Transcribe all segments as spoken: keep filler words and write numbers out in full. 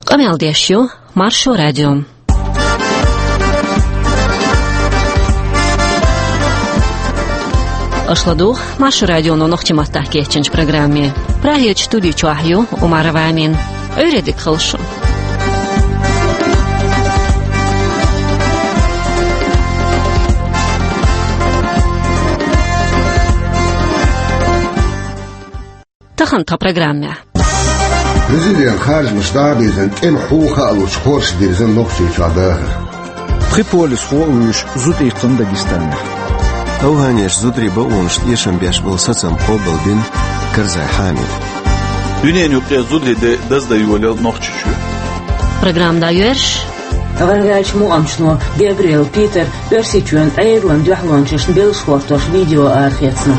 Къамел деш ю Маршо радио. Аша ладугӀу Маршо радионо нохчийн маттахь кечйинчу программе. Прагерчу студи чохь ю Умарова Амина. Ӏуьйре дика хуьлда шун. Тахана тхан программехь. Президент харжамаш дӀа а бирзина, тӀеман хьу хаалучу хорша дирзина Нохчийчохь дахар. Пхи полисхо а вуьйш, зуда иккхина Дагестанехь. АвгӀанеша зударийн бакъонашна эшам беш болу сацам къобалдина Карзай Хьамида. Дуьненан юккъе зударийн де даздан йолаелла Нохчийчоь. Программа дӀайоьрзуш. ГӀарабаьллачу мукъамчано Габриэл Питер Оьрсийчоьнан Ӏедалан дуьхьалончашна беллаш хӀоттош видео арахецна.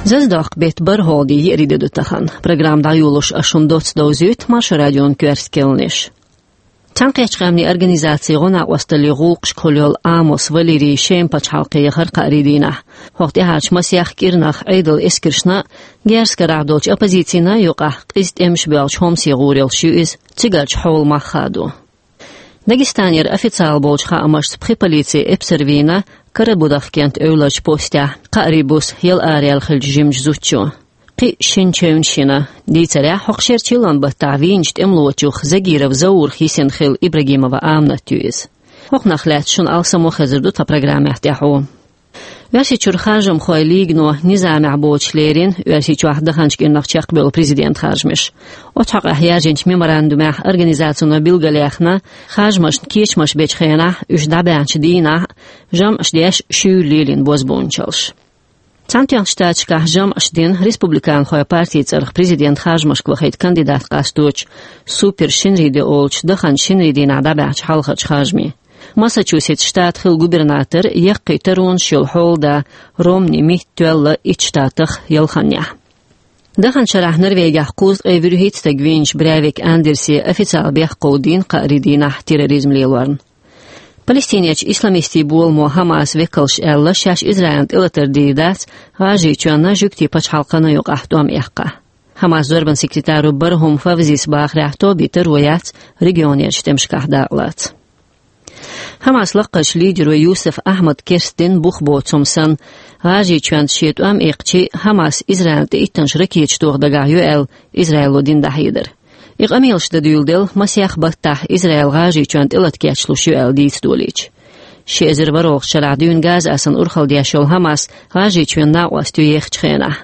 Зазадоккху беттан бархӀалгӀа де, еарин де ду тахана. Программа дӀайолош ас шуна доцца довзуьйту Маршо радион коьрта кхаьънаш. Цхьаьнакхеттачу Къаьмнийн Организацин гӀо-накъосталлин гӀуллакхашка хуьлу йолу Амос Валерий Шема пачхьалкхе яхара кхаарин дийнахь. ХӀокху тӀаьхьарчу масех кӀирнах Ӏедалан эскаршна а, герзкарахь долчу оппозицина а юкъахь къиза тӀемаш боьлхучу Хомсе гӀур йолуш ю иза, цигарчу хьолан мах хадо. Дагестанера официалан болчу хаамашца пхи полицин эпсар вийна Карабудахкентан эвларчу постехь, кхаарин буса яла араяьлла хиллачу жимачу зудчо. Кхин а шина чевнаш йина. Дийцарехь, хӀокху шеран чиллан баттахь вийначу тӀемалочух Загиров Заурах йисина хилла Ибрагимова Аминат ю иза. ХӀокхунах лаьцна шуна алсам а хезар ду тхан программехь тӀаьхьо. Оьрсийчуьра харжамхойн лигано низамехь боцуш лерина Оьрсийчохь даханчу кӀирнах чекхбевлла президентан харжамаш. Оцу хьокъехь яьржинчу меморандумехь организацино билгалъяьхна, харжамашна кечамаш бечу хенахь, уьш дӀабаьхьначу дийнахь а, жамӀаш деш шуьйра лелийна бозбуунчаллаш. Цхьаьнатоьхначу Штаташкахь жамӀаш дина республиканхойн партин цӀарах президентан харжамашка вахийта кандидат къасточу Супер Шинриде олучу даханчу шинарин дийнахь дӀабаьхьначу хьалхарчу харжамийн. Массачусетс штатан хилла губернатор, яккхий таронаш йолу хьолада Ромни Митт тоьлла итт штатах ялханнехь. Даханчу шарахь Норвегехь кхузткъе вуьрхӀитта стаг вийначу Брейвик Андерсе официалан бехк кховдийна кхаарин дийнахь терроризм лелорна. Палестинерчу исламистийн боламо Хамас векалша аьлла, шаьш Израилна тӀелатар дийр дац ГӀажарийчоьнна жуьгтийн пачхьалкхана юкъахь тӀом эккхахь. Хамас зорбанан секретаро Бархум Фавзис бахарехь, тобин таро яц регионерчу тӀемашкахь дакъалаца. Хамас лакхарчу лидеро Юсуф Ахьмада керстдина бух боцу хӀума санна, ГӀажарийчоьнца шен тӀом эккхачий, Хамас Израилна тӀе иттанаш ракеташ тоха дагахь ю аьлла, Израило дина дӀахьедар. И къамелаш дан дуьйладелла, масех баттахь Израил ГӀажарийчоьнна тӀелата кечлуш ю аьлла дийца долийча. Ши эзар ворхӀалгӀачу шарахь дуьйна Газа Ӏасанна урхалла деш йолу Хамас ГӀажарийчоьнан накъостех ю ехачу хенахь.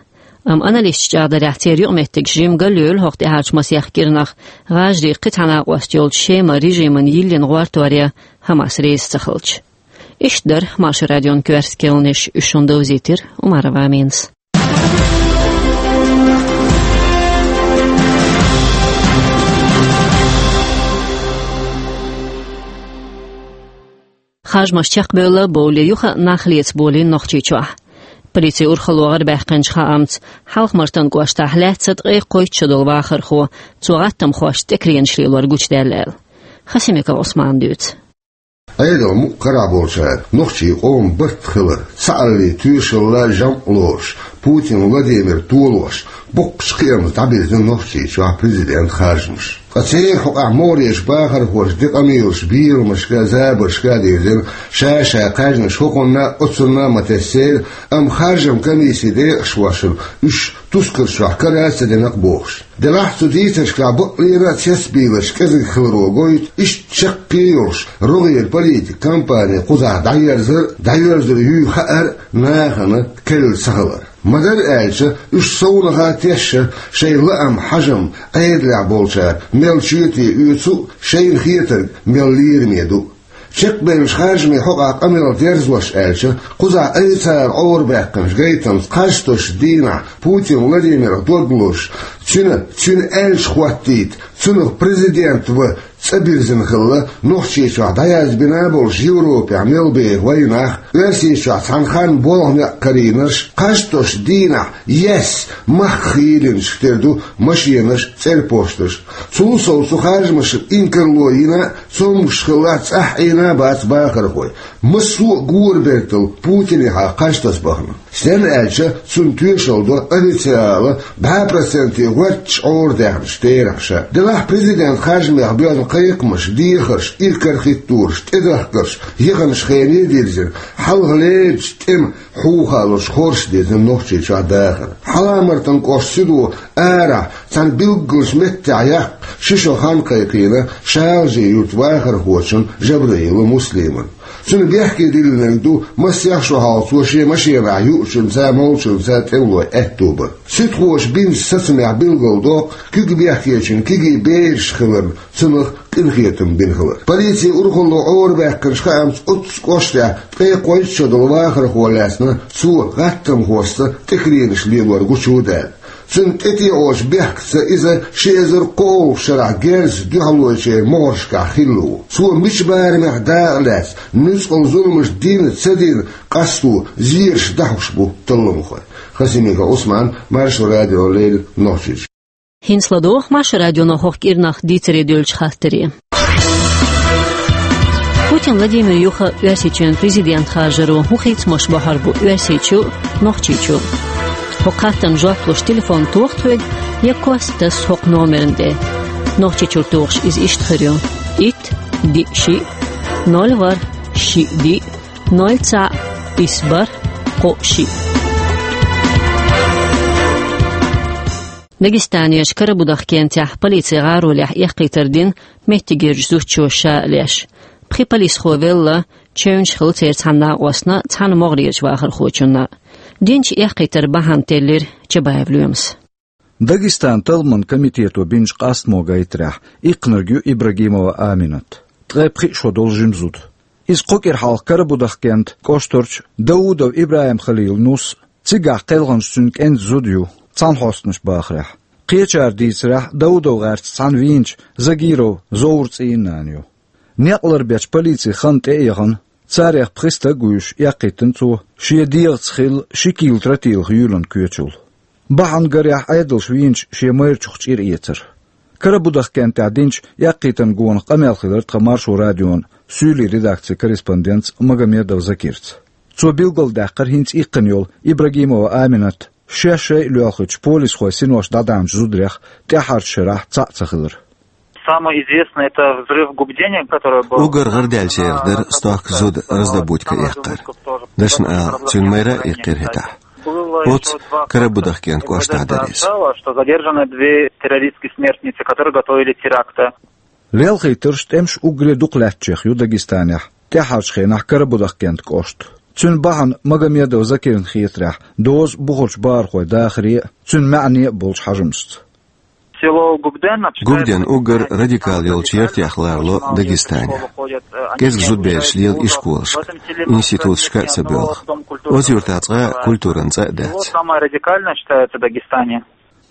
Амма аналисташа чӀагӀдарехь, церан юкъаметтигаш жимма галъевлла хӀокху тӀаьхьарчу масех кӀирнах, ГӀажарийн кхин цхьа накъост йолчу Шема режимана йиллина гӀортор ян Хамас реза ца хилча. Иштта дара Маршо радион коьрта кхаьънаш, уьш шуна довзийтира Умарова Аминас. Харжамаш чекхбевлла бовлий, юха а нах леца болийна Нохчийчохь. Полицин урхалло гӀарабаьккхинчу хаамца, Хьалха-Мартан кӀоштахь лаьцна ткъе кхойтта шо долу вахархо, цо гӀаттамхошца тӀекаренаш лелор гучудаьлла аьлла. Хасимиков Ӏусмана дуьйцу. Ӏедалан мукъ карахь болчара нохчийн къоман барт хилар, цхьааллин тоьшалла, жамӀ лоруш, Путин Владимир толош, боккхачу кхиамца дӀабирзина Нохчийчохь президент харжамаш. Ткъа церан хьокъехь могӀарерчу бахархоша де къамелаш берамашка а, забаршка а дирзина, ша-ша кхаьжнаш хӀокхунна а, оцунна а ма тесцийла, амма харжаман комиссин декъашхошна уьш тускар чохь кара а ца дина-кх бохуш. Делахь цу дийцаршкахь бакълера а цецбийларш кӀезиг хиларо гойту, иштта чаккхе а йолуш, рогӀера политикан кампани кхузахь дӀаерзар а, дӀаерзар юй хаар а нахана керла ца хилар. Ма-дарра аьлча, уьш совнаха тешна шайн лаам, хьажам Ӏедалехь болчара мел чоьте оьцу а, шайна хетарг мел лераме ду а. Чекхбевллачу харжамийн хьокъехь къамел дерзош аьлча, кхузахь айса цара Ӏорабаьккхинчу гайтамца кхаж тосучу дийнахь Путин Владимирах дог лозуш, цуьнан, цуьнан аьлча хӀоттийта, цунах президент ван ЦӀа бирзина хилла Нохчийчохь дӀаязбина болуш Европехь мел бен вайнах, Оьрсийчохь цхьана ханна болх-некъ карийнарш, кхаж тосучу дийнахь ес махках хийлинчух тера ду машенаш, цӀерпошташ. Цул сов цу харжамашна инкарло йина а, цомгуш хилла цӀахь Ӏийна а бац бахархой. Массо а гора бертал Путинехьа кхаж таса бахана. Стенна аьлча, цунна тоьшалла до официала бӀе проценте гӀоьрташ Ӏора даьхначу терахьна ша. Делахь президент харжамех боьзна кхайкхамаш, дехарш, иракарахӀиттораш, тӀедахкарш, яханчу хене дирзина, хьалха лерричу тӀеман хьухалурш хорша дирзина Нохчийчохь дахар. Хьалха-Мартан кӀоштан сино арахь цхьана билггалчу меттехь яккха ши шо хан кхайкхийна Шалажи-Юьртан вахархочун Жабраилов Муслиман. Цуьнан бехке диллинарг ду, массех шо хьалха цо шен машенахь юучуьнца, молчунца тӀемалой аьтто бар. Суьдхоша бинчу сацамехь билгалдоккху куьг бехкечун кегий бераш хиларна цунах къинхетам бина хилар. Полицин урхалло Ӏорабаьккхинчу хаамца, оццу кӀоштехь ткъе кхойтта шо долу вахархо лаьцна цо гӀаттамхошца тӀекаренаш лелор гучу а даьлла. Цуьнан тӀетеӀочу бехкаца иза ши эзар кхоалгӀачу шарахь герзаца дуьхьалойчеран могӀаршкахь хилла ву. Цо мича барамехь дакъа лаьцна, нуьцкъала зуламаш дина ца дина къасто зераш дӀахьош бу талламхой. Хасимиков Ӏусман, Маршо радиона леррина, Нохчийчоь. ХӀинца ладогӀа Маршо радионо хӀокху кӀирнах дийцаре дуьллучу хаттаре. Путин Владимир юха Оьрсийчоьнан президент харжаро хӀун хийцамаш бохьур бу Оьрсийчу а, Нохчийчу а? ХӀокху хаттарна жоп луш телефон тоха тхоьга я кост таса хӀокху номерна тӀе. Нохчийчуьра тухуш иза иштта хир ю: итт, диъ, шиъ, ноль, ворхӀ, шиъ, диъ, ноль, цхьаъ, исс, бархӀ, кхоъ, шиъ. Дагестанерчу Карабудах кентехь полицин гӀаролехь эккхийтар дина меттигерчу зудчо ша а леш. Пхи полисхо велла, чевнаш хилла церан цхьана накъостна, цхьана могӀарерчу вахархочунна. Динчу эккхийтаран бахьана теллира Чабаев Лоьмас. Дагестанан талламан комитето бинчу къастамо гайтарехь, иккхинарг ю Ибрагимова Аминат, ткъе пхиъ шо долу жима зуда. Иза кху кӀира хьалха Карабудах кентан кӀоштарчу Даудов ИбрахӀим-Халилан нус а, цигахь кхелхинчу цуьнан кӀентан зуда ю, цхьаьнахьостанаш бахарехь. Кхечара дийцарехь, Даудов гӀерташ цхьаьна вийначу Загиров Зовран цӀийнан нана ю. Некъ ларбечу полицин хан тӀе а яхана, царех пхи стаг а вуьйш, эккхийтина цо шен дегӀаца хилла ши кийла тротилах юьйланна коьчул. Бахьана гарехь, Ӏедалша вийначу шен майрачух чӀир эцар. Карабудах кентехь динчу эккхийтаран гонах къамел хилира тхан Маршо радион суьйлийн редакцин корреспондентца Магомедов Закирца. Цо билгалдаьккхира хӀинца иккхина йолу Ибрагимова Аминат шаьш шайъа лоьлхучу полисхойн синош дӀадаьхьначу зударех тӀаьххьарчу шарахь цхьаъ ца хилар. Самое известное — это взрыв в Губдене, который был... Уггар гӀарадаьллачарах дара стохка зуда раздобудка эккхар. Дашна ала, цуьнан майра а иккхира хӀетахь. Оццу Карабудах кентан кӀоштахь дара иза. Стало, что задержаны две террористские смертницы, которые готовили теракты. Лелхийтарш, тӀемаш уггаре дукха лаьттачех ю Дагестанехь, тӀаьххьарчу хенахь Карабудах кентан кӀошта. Цуьнан бахьана Магомедов Закирна хетарехь доза бухарчу бахархойн дахаре а, цуьнан маьӀне а болчу хьажамашца. Село Губден считается... Губден уггар радикал йолчу яртех ларло Дагестане. КӀезиг зудабераш лела ишколашка, институташка а ца боьлху. Оцу юьртахь цкъа а культуран цӀа а дац. Самое радикальное считается в Дагестане.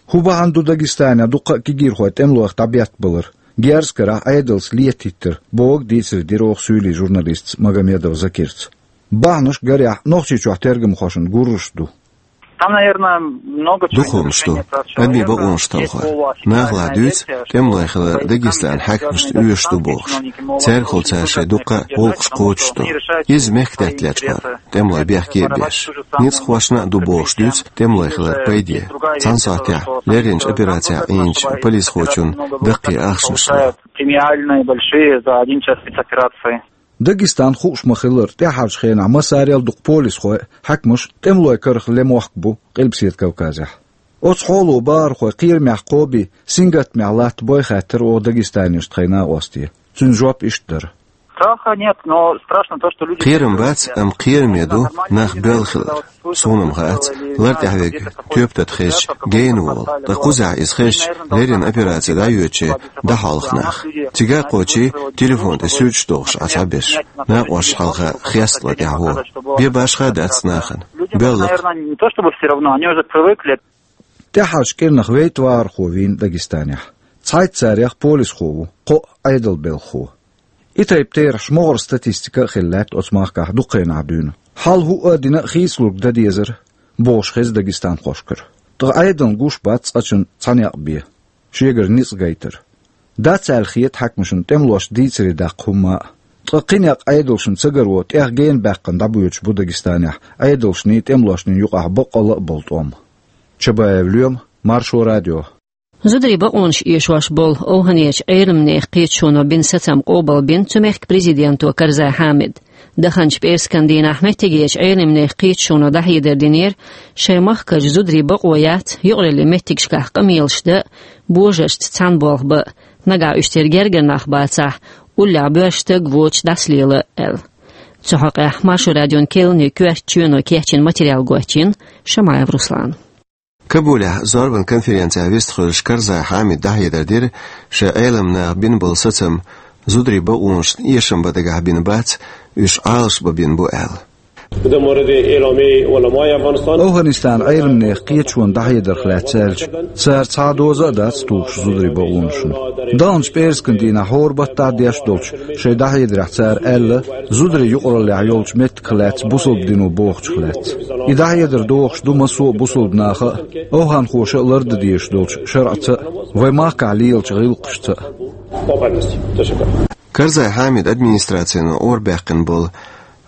ХӀун бахьана ду Дагестанехь дуккха а кегийрхой тӀемалойх дӀабеттабалар, герз карахь Ӏедалца летахӀиттар, бохург дийцаре дира оха суьйлийн журналистца Магомедов Закирца. Бахьанаш гарехь Нохчийчохь тергамхошна гурраш ду. Там, наверное, много чего... Дукха хӀуманаш ду. Адамийн бакъонаш талхор. Наха лаьцна дуьйцу, тӀемалой хилар Дагестанан хьаькамашна оьшуш ду бохуш. Цаьргахула цара шайн дуккха а гӀуллакхаш кхочуш ду. Иза мехкдаьтта лечкъор, тӀемалой бехке а беш. Ницкъахошна а ду бохуш дуьйцу тӀемалой хилар пайде. Цхьана сохьтехь лерринчу операцехь Ӏийначу полисхочун даккхий ахчанаш ло. Премиальные большие за один час спецоперации. Дагестан, хууш ма-хиллара, тӀаьххьарчу хенахь массарел а дукха полисхой а, хьаькамаш а тӀемалойн карах лемохк бу Къилбаседа Кавказехь. Оцу хьоло бахархой кхерамехь кхобий, сингаттамехь латта бой хаьттира оха дагестанерчу тхайн накъосте. Цуьнан жоп иштта дара. Страха нет, но страшно то, что люди... Кхерам бац, амма кхераме ду нах боьлла хилар. Суна-м хаац, лар тӀехь верг тоьпан тата хезча, гена волу. Ткъа кхузахь иза хезча, леррина операци дӀайоьдуче дӀахьолху нах. Цига а кхочий, телефон тӀе суьрташ дохуш Ӏа цхьаберш. Накъосташа хьалха хеста лар тӀехь вогӀу. Бен башха а дац нахана. Боьлла-кх. Наверное, не то чтобы всё равно, они уже привыкли. ТӀаьххьарчу кӀирнах вейтта вахархо вийна Дагестанехь. Цхьайтта царех полисхо ву, кхоъ Ӏедалан белхахо. И тайпа терахьаш могӀара статистика а хилла лаьтта оцу махкахь дукха хенахь дуьйна. Хьал хӀуъа а дина хийцалург дан дезара, бохуш хеза дагестанхошкара. Ткъа Ӏедална гуш бац цкъачунна цхьа некъ бен, шегара ницкъ гайтар. Дац аьлла хета хьаькамашна тӀемалошна дийцаре даккха хӀумма а. Ткъа кхин некъ Ӏедалшна ца гаро тӀех гена баьккхина дӀабоьдуш бу Дагестанехь Ӏедалшний тӀемалошний юкъахь баккъалла а болу тӀом. Чабаев Лоьма, Маршо радио. Зударийн бакъонаш эшош болу ОвхӀанерчу Ӏеламнехан кхеташоно бина сацам къобалбина цу мехкан президенто Карзай Хьамида. Даханчу пӀераскан дийнахь меттигерчу Ӏеламнехан кхеташоно дӀахьедар динера, шайн махкарчу зударийн бакъо яц юкъараллин меттигашкахь къамелаш дан а, божаршца цхьаьна болх бан а, нагахь уьш церан гергара нах бацахь, уллехь боьрша стаг воцуш дӀасалела аьлла. Цу хьокъехь Маршо радион керланийн коьртачу чоьно кечйина материал гочйина Шамаев Руслана. Кабулехь зорбан конференцехь вистхуьлуш Карзай Хьамида дӀахьедар дира, шайн Ӏеламнаха бина болу сацам зударийн бакъонашна эшам бан дагахь бина бац, уьш Ӏалашбан бина бу аьлла. ОвхӀанистанан Ӏеламнехан кхеташоно дӀахьедарх лаьцна аьлча, цара цхьа а доза а дац тухуш зударийн бакъонашна. Даханчу пӀераскан дийнахь хӀора баттахь деш долчу шайн дӀахьедарехь цара аьлла, зударийн юкъараллехь йолчу меттигах лаьцна бусалба дино бохучух лаьцна. И дӀахьедар дохуш ду массо а бусалба наха а, овхӀанхоша а лардан дезаш долчу шарӀаца а, вайн махкахь лелачу гӀиллакхашца а. Карзай Хьамидан администрацино Ӏорабаьккхина болу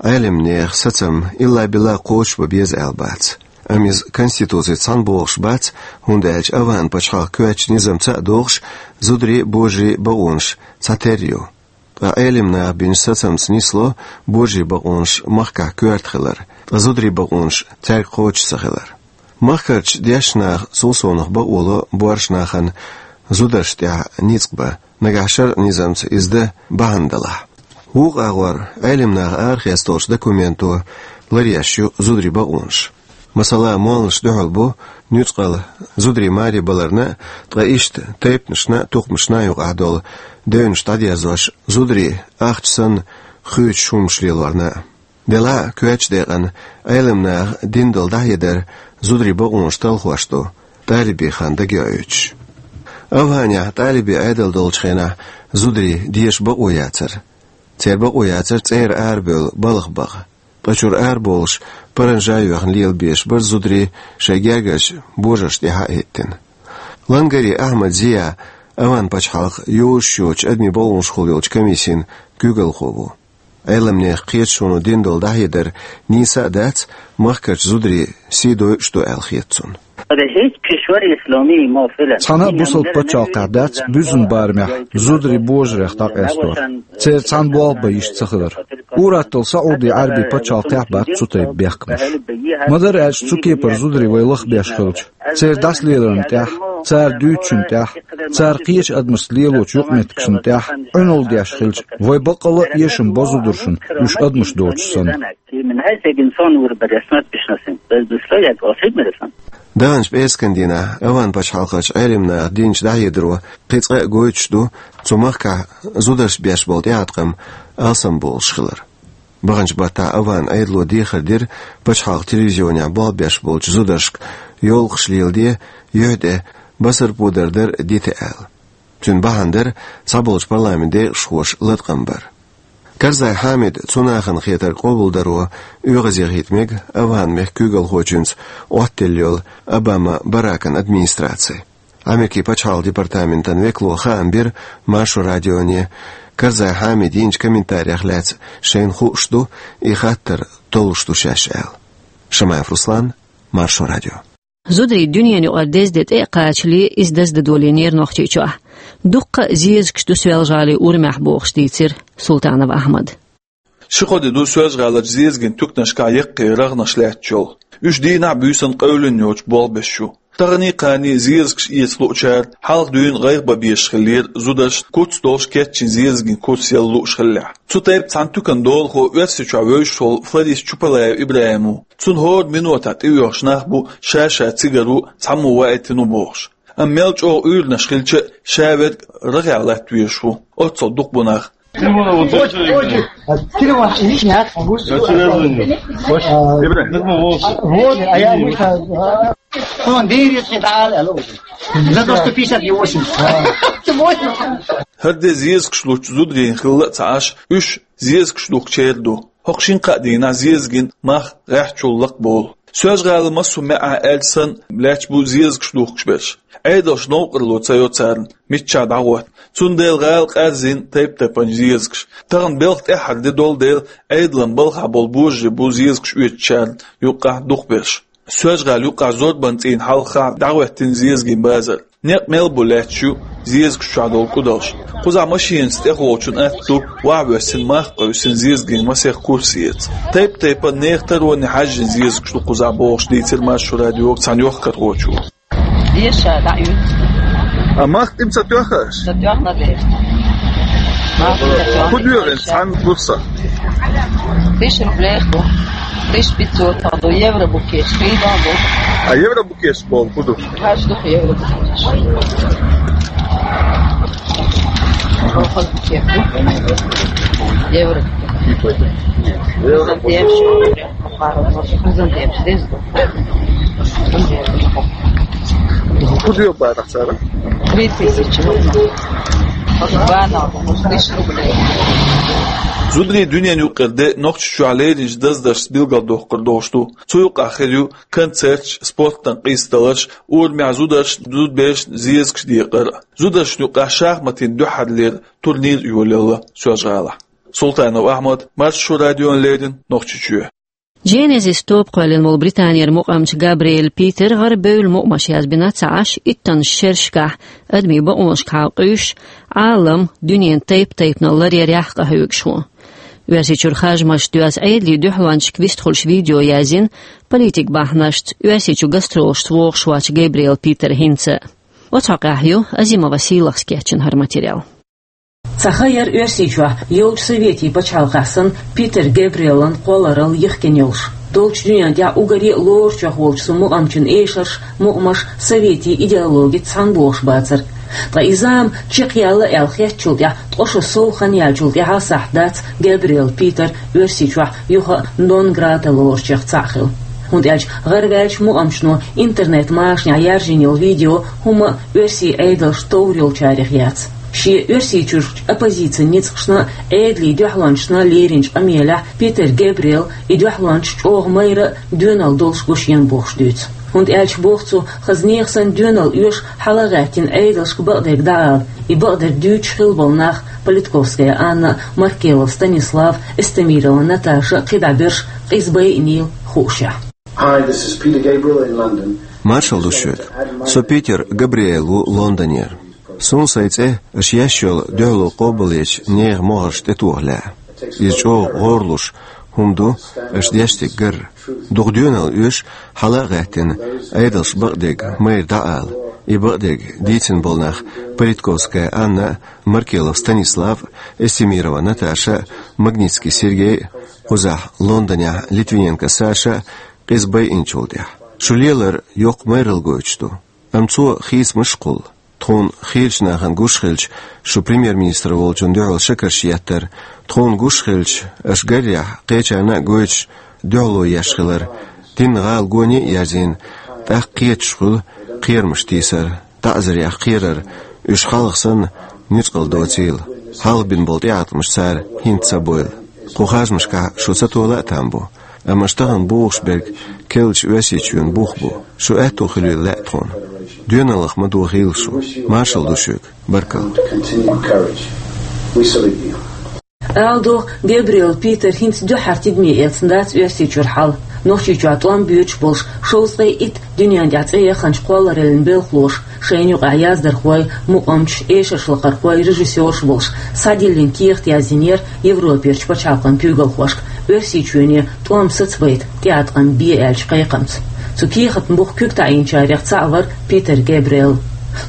Ӏеламнехан сацам илла-билла кхочушбан беза аьлла бац. Амма иза Конституцица цхьаьна богӀуш бац, хӀунда аьлча ОвхӀан пачхьалкхан коьртачу низамца а догӀуш, зударийн а, божарийн а бакъонаш цхьатерра ю. Ткъа Ӏеламнаха бинчу сацамца нисло божарийн бакъонаш махкахь коьрта хилар, ткъа зударийн бакъонаш цаьрга кхочуш ца хилар. Махкарчу дешна наха цул совнаха бакъо ло боьрша нахана зударшна тӀехь ницкъ бан, нагахь шарӀан низамца иза дан бахьана далахь. Вукху агӀор Ӏеламнаха арахецна долчу документо ларъеш ю зударийн бакъонаш. Масала, молланаш дуьхьал бу нуьцкъала зударий маре баларна а, ткъа иштта тайпанашна а, тухумашна а юкъахь долу девнаш дӀадерзош, зударий ахча санна хуьйцуш хӀуманаш лелорна а. Делахь а коьртачу декъана Ӏеламнаха дина долу дӀахьедар зударийн бакъонаш талхош ду, тӀалибийн хан дагайоуьйтуш. ОвхӀанехь тӀалибийн Ӏедал долчу хенахь зударийн деша бакъо яцара. Церан бакъо яцара цӀера арабевлла балха баха. Ткъа чуьра арабовлуш, паранжа а йоьхна лелабеш бара зударий шайн гергарчу божаршна тӀехь а хӀиттина. Лангари Ахьмад Зия ОвхӀан пачхьалкхан йозуш йоцучу адамийн бакъонашкахула йолчу комиссин куьйгалхо ву. Ӏеламнехан кхеташоно дина долу дӀахьедар нийса а дац, махкарчу зударийн сий дойуш ду аьлла хета цунна. Цхьана а бусалба пачхьалкхехь дац буьззина барамехь зударий божарех дӀакъастор, церан цхьаьна болх бан йиш ца хилар. Ур-атталла СаӀуди-Ӏаьрбийн пачхьалкхехь бац цу тайпа бехкамаш. Ма-дарра аьлча, цу кепара зударий вай лахбеш хилча, церан дӀасалеларна тӀехь, цара дуьйцучунна тӀехь, цара кхечу адамашца лелочу юкъаметтигашна тӀехь Ӏуьналла деш хилча, вай баккъалла а эшам бо зударшна, уьш адамаш доцуш санна. Даханчу пӀераскан дийнахь ОвхӀан пачхьалкхерчу Ӏеламнаха динчу дӀахьедаро кхин цкъа а гойтуш ду цу махкахь зударшна беш болу тӀеӀаткъам алсамбовлуш хилар. Баханчу баттахь ОвхӀан Ӏедало дехар дира пачхьалкхан телевизионехь болх беш болчу зударшка йовлакхаш леладе, юьхь тӀе басарподар дар дита аьлла. Цуьнан бахьана дара цхьаболчу парламентан декъашхоша латкъам бар. Карзай Хьамида цу нахана хетарг къобалдаро оьгӀазъяхийта мега ОвхӀан мехкан куьйгалхочуьнца Ӏоттаделла йолу Обама Баракан администраци. Америкин пачхьалкхан департаментан векало хаам бира Маршо радионе, Карзай Хьамида йинчу комментарех лаьцна шайна хууш ду, и хаттар толлуш ду шаьш аьлла. Шамаев Руслан, Маршо радио. Зударий дуьненан юкъара дезде тӀе а кхачале, иза даздадолийнера Нохчийчохь. Дуккха а зезагаш ду Соьлжа-ГӀалин урамехь бохуш дийцира Султанов Ахьмада. Ши-кхо де ду Соьлжа-ГӀаларчу зезаган туьканашкахь яккхий рагӀнаш лаьтташ йолу. Уьш дийнахь а, буьйсанна а къевлина йоцуш болх беш ю. Таханий, кханий зезагаш эца луучара хьалха дуьйна гӀайгӀа бан безаш хиллера зударшна, куц долуш кечйина зезаган куц яла лууш хиллехь. Цу тайпа цхьана туьканан долахо Оьрсийчохь вевзаш волу флорист Чупалаев ИбрахӀим ву. Цунна хӀора минотехь тӀеоьхуш нах бу, ша-ша цигара ву, цхьаммо ваийтина ву бохуш. Амма мел чӀогӀа уьйранаш хилча а, ша верг рагӀехь латта везаш ву, оццул дукха бу нах. Телефон, вот, очень, очень. А, телефон, извини, а, могу? Я тебе звоню. А, Ибрагим. Вот, а я вышла, а, он день, если дали, алло. За то, что пятьдесят и восемь. А. Ты восемь. ХӀара де зезагаш лучу зударийн хилла а ца Ӏаш, уьш зезагаш духкучарах ду. ХӀокху шина-кхаа дийнахь зезаган мах гӀеххьачул лакхаболу. Соьлжа-ГӀалин массо а маьӀӀехь аьлча санна лаьтташ бу зезагаш духкуш берш. Ӏедалша новкъарло ца йо царна, миччахь дӀагӀотта. Цундела гӀала къаьрзина тайп-тайпана зезагаш. Тахана белхан тӀаьххьара де долу дела, Ӏедалан балхахь болу божарий бу зезагаш оьцучарна юккъехь дукхахберш. Соьлжа-ГӀала юккъехь Зорбанан цӀийнан хьалха дӀахӀоьттина зезаган базар. Некъ мел бу лаьтташ ю зезагаш чохь долу кӀудалш. Кхузахь машенаца тӀехволчун атта ду, ваха воьссина мах къевсина зезаган масех курс эца. Тайп-тайпана нехан тароне хьаьжжина зезагаш ду кхузахь бохуш дийцира Маршо радиога цхьана йохкархочо. Деша, да, ю. А мах тӀе ца тоьхна аш? Ца тоьхна деша. Мах ца тоьхна. ХӀун доьху цхьана курса? Тысяча рублей ду. Тысяча пятьсот ду. Евро бу кеш, хӀинца ду. А евро бу кеш боху хӀун ду? Хьаж ду евро бу кеш. Евро. Евро. ХӀун доьху бахьана цара? Три тысячи. Два на, тысяча рублей. Зударийн дуьненан юккъера де Нохчийчохь леринчу даздаршца билгалдоккхур долуш ду. Цу юкъахь хир ю концерташ, спортан къийсадаларш, урамехь зударш, зудабераш, зезагаш декъар. Зударшна юкъахь шахматийн дуьххьарлера турнир а йолаелла Соьлжа-ГӀалахь. Султанов Ахьмад, Маршо радиона леррина, Нохчийчоь. Genesis тоба кхоьллина волу Британера мукъамча Габриэль Питера гӀара бевлла мукъамаш язбина ца Ӏаш, иттаннаш шерашкахь адамийн бакъонашка хьалакъуьйсуш, Ӏалам, дуьненан тайп-тайпанал ларъярехь къахьоьгуш ву. Оьрсийчуьра харжамашца доьзна Ӏедалийн дуьхьалончашка вистхуьлуш видео яздина, политик бахьанашца Оьрсийчу гастролашца вогӀуш воцчу Габриэль Питера хӀинца. Оцу хьокъехь ю Азимова Сийлахас кечйина хӀара материал. Цхьа хан яра Оьрсийчохь йолчу советийн пачхьалкхехь санна Питер Габриэлан кхолларалла йихкина йолуш. Долчу дуьненна тӀехь уггаре а лоручех волчу цу мукъамчун эшарш, мукъамаш советийн идеологица цхьаьна богӀуш бацара. Ткъа и зама чекхъяьлла аьлла хеттачул тӀаьхьа ткъа шо сов хан яьллачул тӀаьхьа сахьт дац Габриэль Питер Оьрсийчохь юха а нон-грата лоручех цхьаъ хила. ХӀунда аьлча гӀараваьллачу мукъамчано интернет-машанехь яржийна йолу видео хӀумма а оьрсийн Ӏедалша товр йолчарех яц. Шен Оьрсийчуьрчу оппозицин ницкъашна а, Ӏедалийн дуьхьалончашна а леринчу къамелехь Питер Габриэл и дуьхьалончаш чӀогӀа майра а, доьналла долуш гуш йина бохуш дуьйцу. ХӀунда аьлча боху цо, хаза нехан санна доьналла оьшу хьала а гӀаьттина Ӏедалшка бакъдерг дӀаала, и бакъдерг дуьйцуш хилла болу нах Политковская Анна а, Маркелов Станислав а, Эстемирова Наташа а, кхидӀа берш къиза байинийла хуушехь. Hi, this is Peter Gabriel in London. Маршалла ду шуьга. Со Питер Габриэл ву Лондонера. Суна сайн цӀе аша еш йолу дуьхьало къобалъечу нехан могӀаршна тӀетоха лаьа. Иза чӀогӀа гӀорлуш хӀума ду аша деш дерг гарра. Дукха доьналла оьшу хьала а гӀаьттина, Ӏедалшка бакъдерг майра дӀаала, и бакъдерг дийцина болу нах Политковская Анна а, Маркелов Станислав а, Эстемирова Наташа а, Магнитский Сергей а, кхузахь Лондонехь Литвиненко Саша а, къиза байинчул тӀаьхьа. Шу лелар йоккха майралла гойтуш ду. Амма цо хийцамаш а кхуллу. Тхуна хийрачу нахана гуш хилча, шу премьер-министр волчунна дуьхьал шекарш еттара. Тхуна гуш хилча, аша гарехь, кхечарна а гойтуш, дуьхьало еш хилар. Динна гӀала гоне а ерзийна, тӀаккха кхеташ хуьлу кхерамаш тийсар, таӀзарех кхерар, уьш хьалха санна нуьцкъала доцийла. Хьалха бина болу тӀеӀаткъамаш цара хӀинца ца бойла. Кху харжамашкахь шу ца тола а там бу. Амма аша тахана бохуш берг керлачу Оьрсийчоьнан бух бу. Шу аьтто хуьлийла лаьа тхуна. Доьналлах ма дохийла шу. Маршалла ду шуьга. Баркалла. Ала догӀу, Габриэл Питер хӀинца дуьххьара тидаме эцна дац Оьрсийчуьра хьал. Нохчийчохь тӀом боьдуш болуш шовзткъе итт дуьненна тӀехь цӀе яханчу кхоллараллин белхалоша, шайна юкъахь яздархой, мукъамчаш, эшаршлакхархой, режиссерш болуш, схьадиллина кехат яздинера Европерчу пачхьалкхан куьйгалхошка Оьрсийчоьне тӀом сацабайта тӀеӀаткъам бе аьллачу кхайкхамца. Цу кехатна буха куьг таӀийначарех цхьаъ вара Питер Габриэл.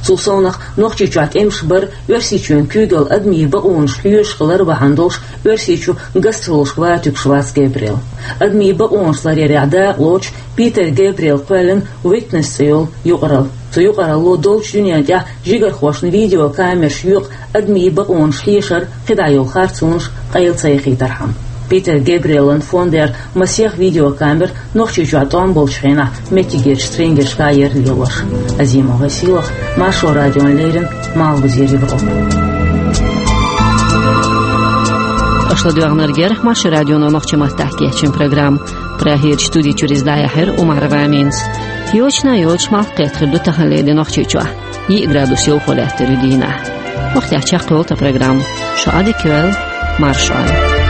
Цул совнах, Нохчийчохь тӀемаш бар, Оьрсийчоьнан куьйгалла адамийн бакъонаш лоьшуш хилар бахьана долуш, Оьрсийчу гастролашка ватуьгуш вац Габриэл. Адамийн бакъонаш ларъярехь дакъалоцуш Питер Габриэл кхоьллина Witness цӀе йолу юкъаралла. Цу юкъаралло долчу дуьнен тӀехь жигархошна видеокамераш юкъа адамийн бакъонаш хьешар, кхидӀа йолу харцонаш къайла ца яхийтархьама. Питер Гебриэлан фондера масех видеокамера Нохчийчохь тӀом болчу хенахь меттигерчу стрингершка яра лелош. Азимова Силах, Маршо радион леррина, Малхбузера Европа. Аша ладоьгӀнарг яра Маршо радионо нохчийн маттахь кечйина программа. Прагерчу студи чуьра иза дӀаяьхьира Умарова Аминас. Йочана йоцуш малх кхетахь ду таханлера де Нохчийчохь. Йиъ градус йовхо лаьттар ю дийнахь. Вахтехь чекхйолу тхан программа. Шу Ӏадика йойла, марша Ӏойла.